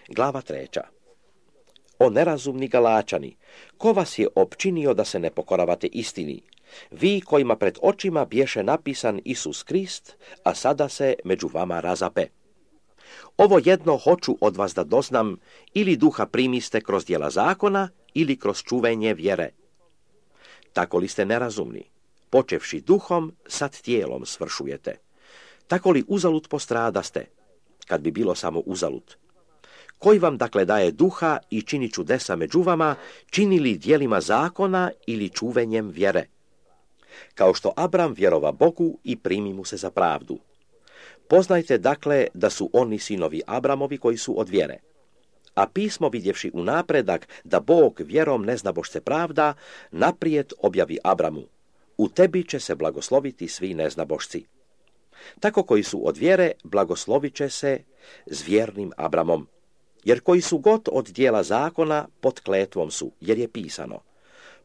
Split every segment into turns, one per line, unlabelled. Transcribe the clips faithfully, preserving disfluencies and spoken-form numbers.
Glava treća. O nerazumni Galačani, ko vas je opčinio da se ne pokoravate istini? Vi kojima pred očima bješe napisan Isus Krist, a sada se među vama razape. Ovo jedno hoću od vas da doznam, ili duha primiste kroz djela zakona, ili kroz čuvenje vjere. Tako li ste nerazumni? Počevši duhom, sad tijelom svršujete. Tako li uzalud postradaste, kad bi bilo samo uzalud? Koji vam dakle daje duha i čini čudesa među vama, čini li djelima zakona ili čuvenjem vjere? Kao što Abram vjerova Bogu i primi mu se za pravdu. Poznajte dakle da su oni sinovi Abramovi koji su od vjere. A pismo vidjevši u napredak da Bog vjerom neznabošce pravda, naprijed objavi Abramu. U tebi će se blagosloviti svi neznabošci. Tako koji su od vjere, blagoslovit će se s vjernim Abramom. Jer koji su god od dijela zakona, pod kletvom su, jer je pisano: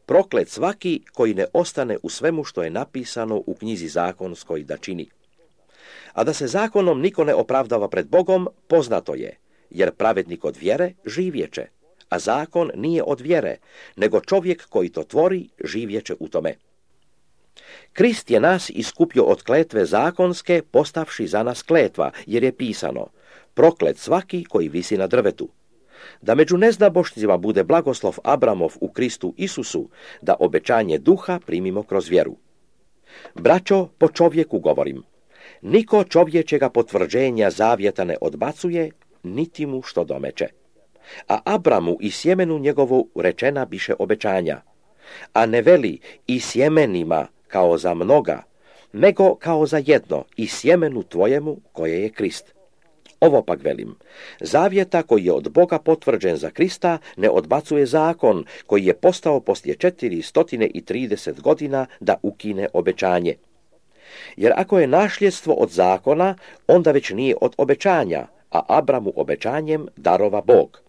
proklet svaki koji ne ostane u svemu što je napisano u knjizi zakonskoj da čini. A da se zakonom niko ne opravdava pred Bogom, poznato je, jer pravednik od vjere živjeće, a zakon nije od vjere, nego čovjek koji to tvori živjeće u tome. Krist je nas iskupio od kletve zakonske, postavši za nas kletva, jer je pisano: proklet svaki koji visi na drvetu. Da među neznabošcima bude blagoslov Abramov u Kristu Isusu, da obećanje duha primimo kroz vjeru. Braćo, po čovjeku govorim. Niko čovječega potvrđenja zavjeta ne odbacuje, niti mu što domeće. A Abramu i sjemenu njegovu rečena biše obećanja. A ne veli i sjemenima kao za mnoga, nego kao za jedno, i sjemenu tvojemu koje je Krist. Ovo pak velim, zavjeta koji je od Boga potvrđen za Krista ne odbacuje zakon koji je postao poslije četiristo trideset godina da ukine obećanje. Jer ako je nasljedstvo od zakona, onda već nije od obećanja, a Abramu obećanjem darova Bog.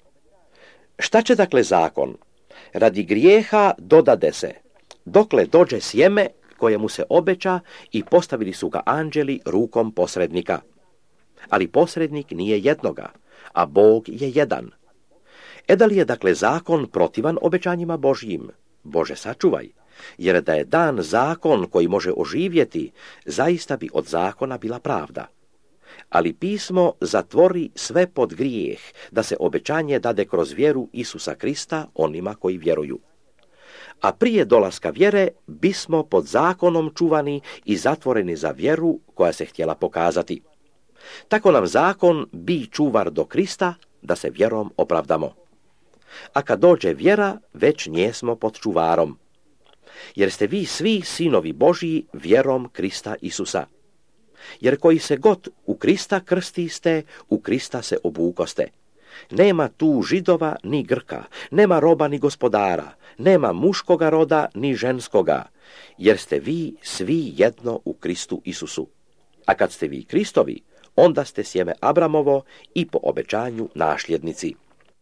Šta će dakle zakon? Radi grijeha dodade se, dokle dođe sjeme koje mu se obeća, i postavili su ga anđeli rukom posrednika. Ali posrednik nije jednoga, a Bog je jedan. E da li je dakle zakon protivan obećanjima Božjim? Bože sačuvaj, jer da je dan zakon koji može oživjeti, zaista bi od zakona bila pravda. Ali pismo zatvori sve pod grijeh, da se obećanje dade kroz vjeru Isusa Krista onima koji vjeruju. A prije dolaska vjere bismo pod zakonom čuvani i zatvoreni za vjeru koja se htjela pokazati. Tako nam zakon bi čuvar do Krista, da se vjerom opravdamo. A kad dođe vjera, već njesmo pod čuvarom. Jer ste vi svi sinovi Božji vjerom Krista Isusa. Jer koji se god u Krista krstiste, u Krista se obukoste. Nema tu Židova ni Grka, nema roba ni gospodara, nema muškoga roda ni ženskoga, jer ste vi svi jedno u Kristu Isusu. A kad ste vi Kristovi, onda ste sjeme Abramovo i po obećanju nasljednici.